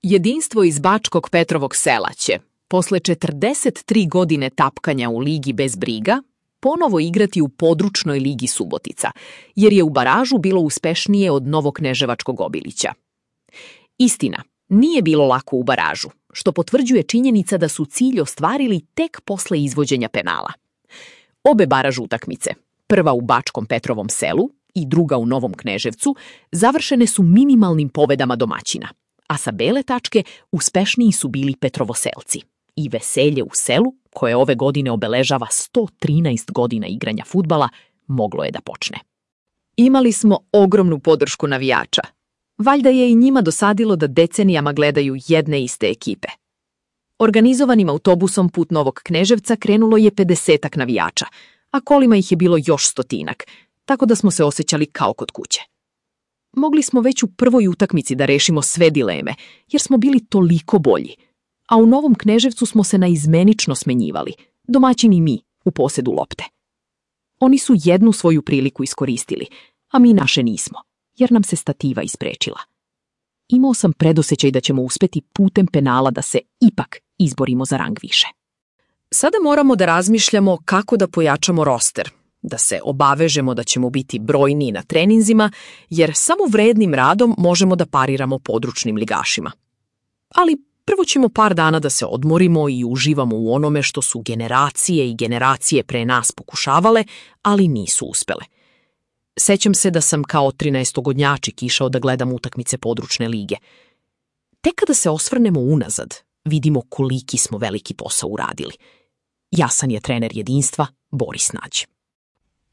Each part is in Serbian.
Jedinstvo iz Bačkog Petrovog Sela će, posle 43 godine tapkanja u Ligi bez briga, ponovo igrati u područnoj Ligi Subotica, jer je u baražu bilo uspešnije od Novokneževačkog Obilića. Istina, nije bilo lako u baražu, što potvrđuje činjenica da su cilj ostvarili tek posle izvođenja penala. Obe baraž utakmice, prva u Bačkom Petrovom Selu i druga u Novom Kneževcu, završene su minimalnim pobedama domaćina, a sa bele tačke uspešniji su bili Petrovoselci. I veselje u selu, koje ove godine obeležava 113 godina igranja fudbala, moglo je da počne. Imali smo ogromnu podršku navijača. Valjda je i njima dosadilo da decenijama gledaju jedne iste ekipe. Organizovanim autobusom put Novog Kneževca krenulo je 50-ak navijača, a kolima ih je bilo još 100-ak, tako da smo se osjećali kao kod kuće. Mogli smo već u prvoj utakmici da rešimo sve dileme, jer smo bili toliko bolji. A u Novom Kneževcu smo se naizmenično smenjivali, domaćini mi, u posedu lopte. Oni su jednu svoju priliku iskoristili, a mi naše nismo, jer nam se stativa isprečila. Imao sam predosećaj da ćemo uspeti putem penala da se ipak izborimo za rang više. Sada moramo da razmišljamo kako da pojačamo roster, da se obavežemo da ćemo biti brojniji na treninzima, jer samo vrednim radom možemo da pariramo područnim ligašima. Ali prvo ćemo par dana da se odmorimo i uživamo u onome što su generacije i generacije pre nas pokušavale, ali nisu uspele. Sećam se da sam kao 13-godnjačik išao da gledam utakmice područne lige. Tek kada se osvrnemo unazad, vidimo koliki smo veliki posao uradili. Jasan je trener jedinstva Boris Nađ.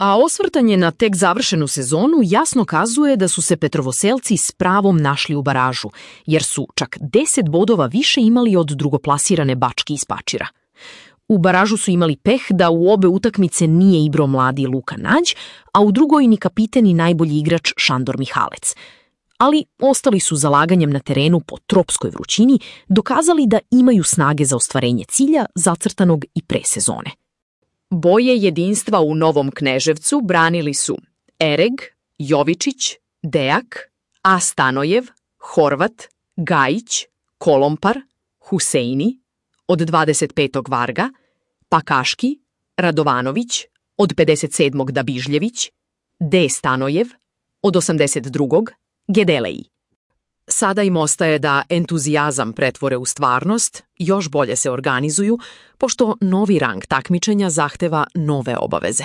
A osvrtanje na tek završenu sezonu jasno kazuje da su se Petrovoselci s pravom našli u baražu, jer su čak 10 bodova više imali od drugoplasirane Bački iz Pačira. U baražu su imali peh da u obe utakmice nije igrao mladi Luka Nađ, a u drugoj ni kapiten i najbolji igrač Šandor Mihalec. Ali ostali su zalaganjem na terenu po tropskoj vrućini dokazali da imaju snage za ostvarenje cilja zacrtanog i pre sezone. Boje jedinstva u Novom Kneževcu branili su Ereg, Jovičić, Dejak, A. Stanojev, Horvat, Gajić, Kolompar, Huseini, od 25. Varga, Pakaški, Radovanović, od 57. Dabižljević, D. Stanojev, od 82. Gedeleji. Sada im ostaje da entuzijazam pretvore u stvarnost, još bolje se organizuju, pošto novi rang takmičenja zahteva nove obaveze,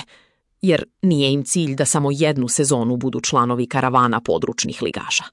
jer nije im cilj da samo jednu sezonu budu članovi karavana područnih ligaša.